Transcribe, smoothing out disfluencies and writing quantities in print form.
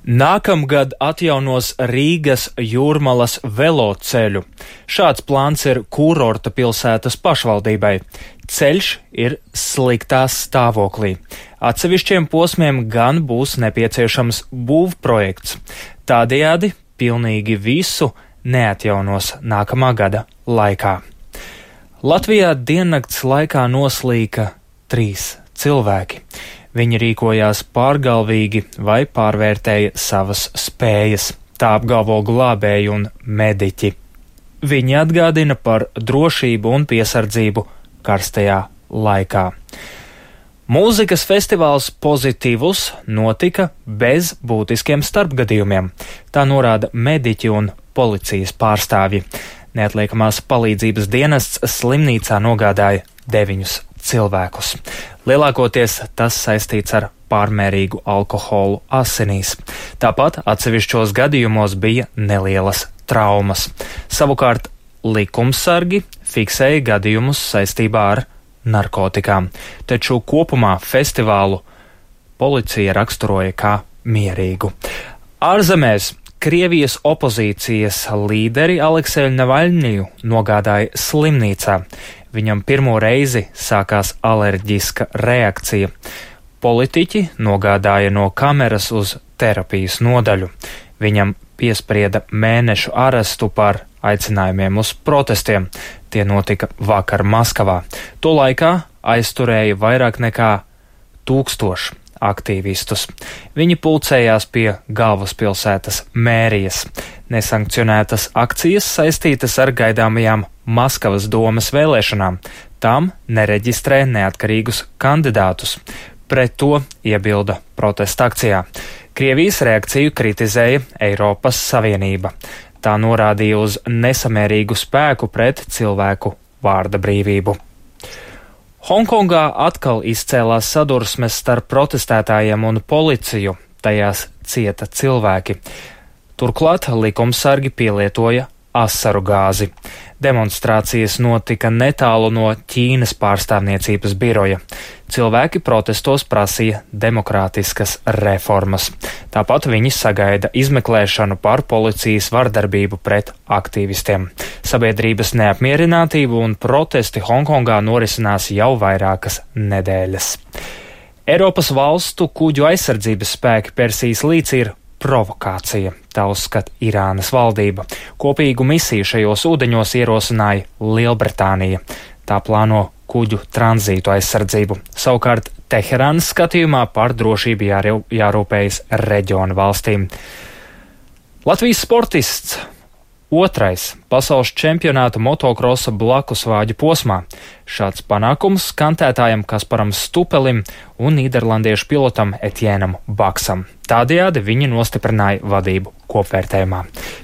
Nākamgad atjaunos Rīgas Jūrmalas veloceļu. Šāds plāns ir kurorta pilsētas pašvaldībai. Ceļš ir sliktā stāvoklī. Atsevišķiem posmiem gan būs nepieciešams būvprojekts. Tādējādi pilnīgi visu neatjaunos nākamā gada laikā. Latvijā diennakts laikā noslīka 3 cilvēki. Viņi rīkojās pārgalvīgi vai pārvērtēja savas spējas. Tā apgalvo glābēji un mediķi. Viņi atgādina par drošību un piesardzību karstajā laikā. Mūzikas festivāls Pozitīvus notika bez būtiskiem starpgadījumiem. Tā norāda mediķi un policijas pārstāvji. Neatliekamās palīdzības dienests slimnīcā nogādāja 9 cilvēkus. Lielākoties tas saistīts ar pārmērīgu alkoholu asinīs. Tāpat atsevišķos gadījumos bija nelielas traumas. Savukārt likumsargi fiksēja gadījumus saistībā ar narkotikām, taču kopumā festivālu policija raksturoja kā mierīgu. Ārzemēs Krievijas opozīcijas līderi Alekseju Navaļņiju nogādāja slimnīcā. Viņam pirmo reizi sākās alerģiska reakcija. Politiķi nogādāja no kameras uz terapijas nodaļu. Viņam piesprieda mēnešu arestu par aicinājumiem uz protestiem. Tie notika vakar Maskavā. To laikā aizturēja vairāk nekā 1000 aktīvistus. Viņi pulcējās pie galvaspilsētas mērijas. Nesankcionētas akcijas saistītas ar gaidāmajām Maskavas domas vēlēšanām. Tam nereģistrē neatkarīgus kandidātus. Pret to iebilda protesta akcijā. Krievijas reakciju kritizēja Eiropas Savienība. Tā norādīja uz nesamērīgu spēku pret cilvēku vārda brīvību. Hongkongā atkal izcēlās sadursmes starp protestētājiem un policiju. Tajās cieta cilvēki. Turklāt likumsargi pielietoja asaru gāzi. Demonstrācijas notika netālu no Ķīnas pārstāvniecības biroja. Cilvēki protestos prasīja demokrātiskas reformas. Tāpat viņi sagaida izmeklēšanu par policijas vardarbību pret aktīvistiem. Sabiedrības neapmierinātība un protesti Hongkongā norisinās jau vairākas nedēļas. Eiropas valstu kuģu aizsardzības spēki Persijas līcī ir provokācija, tā uzskata Irānas valdība. Kopīgu misiju šajos ūdeņos ierosināja Lielbritānija. Tā plāno kuģu tranzītu aizsardzību. Savukārt Teherānas skatījumā par drošību jārūpējas reģionu valstīm. Latvijas sportists 2. pasaules čempionāta motokrosa blakusvāģu posmā. Šāds panākums kantētājam Kasparam Stupelim un nīderlandiešu pilotam Etienam Baksam. Tādējādi viņi nostiprināja vadību kopvērtējumā.